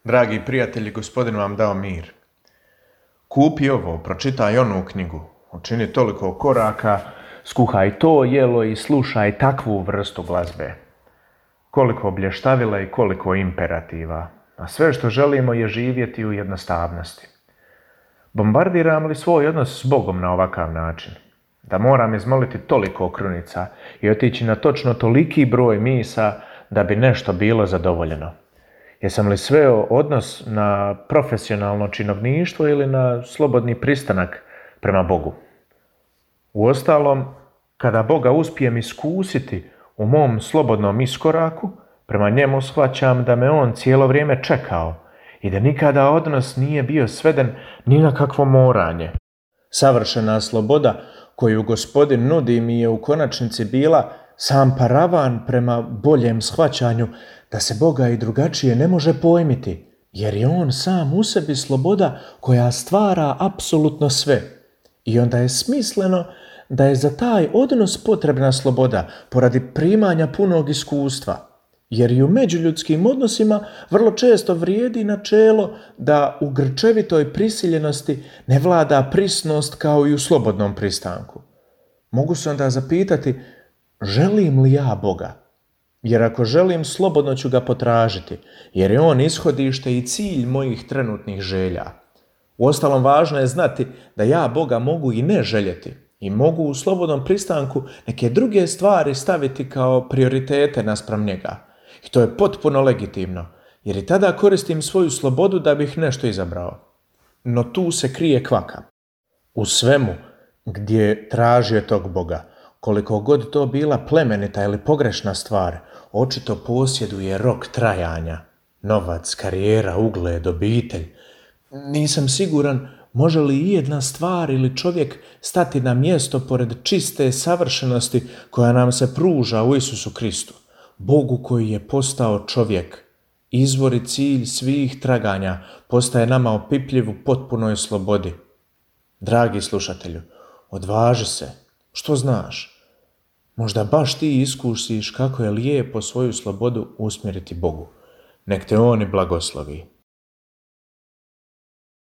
Dragi prijatelji, Gospodin vam dao mir. Kupi ovo, pročitaj onu knjigu, učini toliko koraka, skuhaj to jelo i slušaj takvu vrstu glazbe. Koliko blještavila i koliko imperativa, a sve što želimo je živjeti u jednostavnosti. Bombardiram li svoj odnos s Bogom na ovakav način? Da moram izmoliti toliko krunica i otići na točno toliki broj misa da bi nešto bilo zadovoljeno? Jesam li sveo odnos na profesionalno činovništvo ili na slobodni pristanak prema Bogu? Uostalom, kada Boga uspijem iskusiti u mom slobodnom iskoraku, prema njemu shvaćam da me on cijelo vrijeme čekao i da nikada odnos nije bio sveden ni na kakvo moranje. Savršena sloboda koju Gospodin nudi mi je u konačnici bila sam paravan prema boljem shvaćanju da se Boga i drugačije ne može pojmiti, jer je on sam u sebi sloboda koja stvara apsolutno sve. I onda je smisleno da je za taj odnos potrebna sloboda poradi primanja punog iskustva, jer i u međuljudskim odnosima vrlo često vrijedi načelo da u grčevitoj prisiljenosti ne vlada prisnost kao i u slobodnom pristanku. Mogu se onda zapitati, želim li ja Boga? Jer ako želim, slobodno ću ga potražiti, jer je on ishodište i cilj mojih trenutnih želja. Uostalom, važno je znati da ja Boga mogu i ne željeti i mogu u slobodnom pristanku neke druge stvari staviti kao prioritete naspram njega. I to je potpuno legitimno, jer i tada koristim svoju slobodu da bih nešto izabrao. No tu se krije kvaka. U svemu gdje tražio tog Boga, koliko god to bila plemenita ili pogrešna stvar, očito posjeduje rok trajanja, novac, karijera, ugled, obitelj. Nisam siguran može li i jedna stvar ili čovjek stati na mjesto pored čiste savršenosti koja nam se pruža u Isusu Kristu, Bogu koji je postao čovjek. Izvor i cilj svih traganja postaje nama opipljiv u potpunoj slobodi. Dragi slušatelju, odvaži se. Što znaš? Možda baš ti iskusiš kako je lijepo svoju slobodu usmjeriti Bogu. Nek te on i blagoslovi.